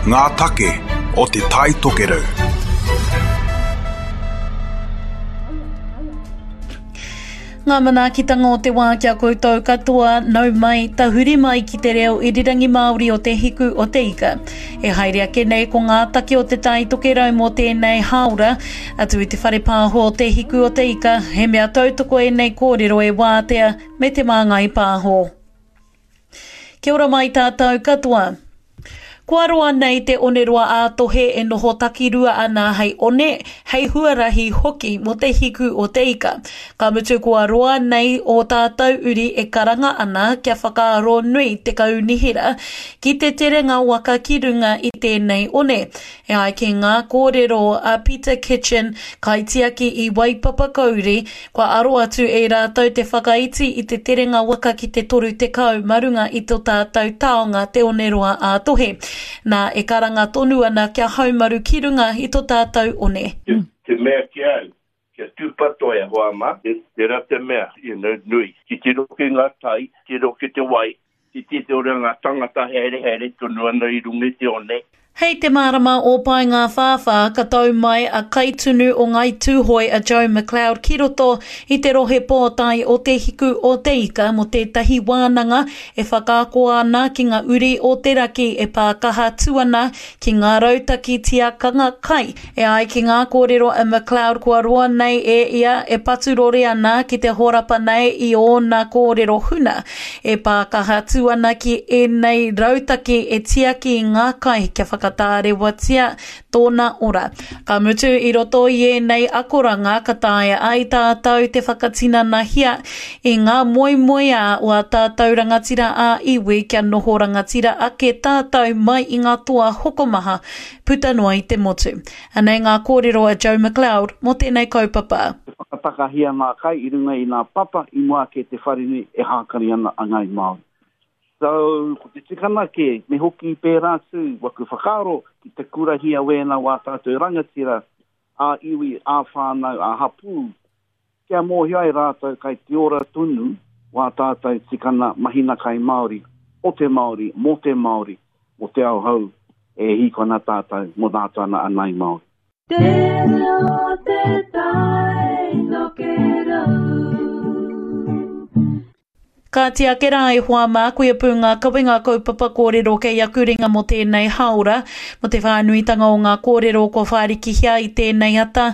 Ngā take o Te Tai Tokerau. Ngā manaakitanga o te wā ki a koutou katoa, nau mai, tahuri mai ki te reo irirangi Māori o Te Hiku o Te Ika. E haere ake nei ko ngā take o Te Tai Tokerau mō tēnei hāora, atu i te whare pāho o Te Hiku o Te Ika, he mea tautoko ēnei kōrero e Wātea me Te Māngai Pāho. Kia ora mai tātou katoa. Kua roa nei te oneroa ā-tohe e noho takirua ana hei one, hei huarahi hoki mō te hiku o te ika. Ka mutu kua roa nei ō tātou uri e karanga ana kia whakaaro nui te kaunihera ki te terenga waka ki runga i tēnei one. E ai ki ngā kōrero a Peter Kitchen, kaitiaki i Waipapa Kauri, kua aro atu e rātou te whakaiti i te terenga waka ki te 30 ma runga i to tātou taonga te oneroa ā-tohe. Nā, e karanga tonu ana kia haumaru ki runga i to tātou one. Te mea ki a au, kia tūpato e hoa mā, tērā te mea, you know, nui. Titiro ki ngā tai, titiro ki te wai, titiro ki ngā tangata haere haere tonu ana i runga i te one. Hei te marama o Paengawhāwhā ka tau mai a kaitunu o Ngāi Tūhoe a Joe McLeod ki roto i te rohe pōtae o Te Hiku o Te Ika mō tētahi wānanga e whakaako ana ki ngā uri o te raki e pā kaha atu ana ki ngā rautaki tiakanga kai. E ai ki ngā kōrero a McLeod kua roa nei e ia e paturore ana ki te horapa nei i ōna kōrero huna e pā kaha atu ana ki ēnei rautaki e tiaki i ngā kai kia whakatārewatia tōna ora. Ka mutu i roto i ēnei akoranga ka taea ai tātou te whakatinanahia i ngā moemoeā o ā tātou rangatira ā-iwi kia noho rangatira ake tātou mai i ngā toa hokomaha puta noa i te motu. Anei ngā kōrero a Joe McLeod mō tēnei kaupapa. Te whakatakahia ngā kai i runga i ngā papa i mua ake te wharenui e hākari ana a Ngāi Māori. So, ko te tikanga kē, me hoki pērā atu waku whakaaro ki te kurahia wēnā wā tātou rangatira ā-iwi, ā-whānau, ā-hapū, Kia mōhio ai rātou kai te ora tonu wā tātou tikana mahina kai Māori, o te Māori, mō te Māori, mō te ao hou e hīkoi ana tātou mō nātou ana a Ngāi Māori. Te reo te tai tokerau. Kāti ake rā e hoa mā, koia pū ngā kawenga kaupapa kōrero kei aku ringa mō tēnei hāora, mō te whānuitanga o ngā kōrero kua whārikihia i tēnei ata.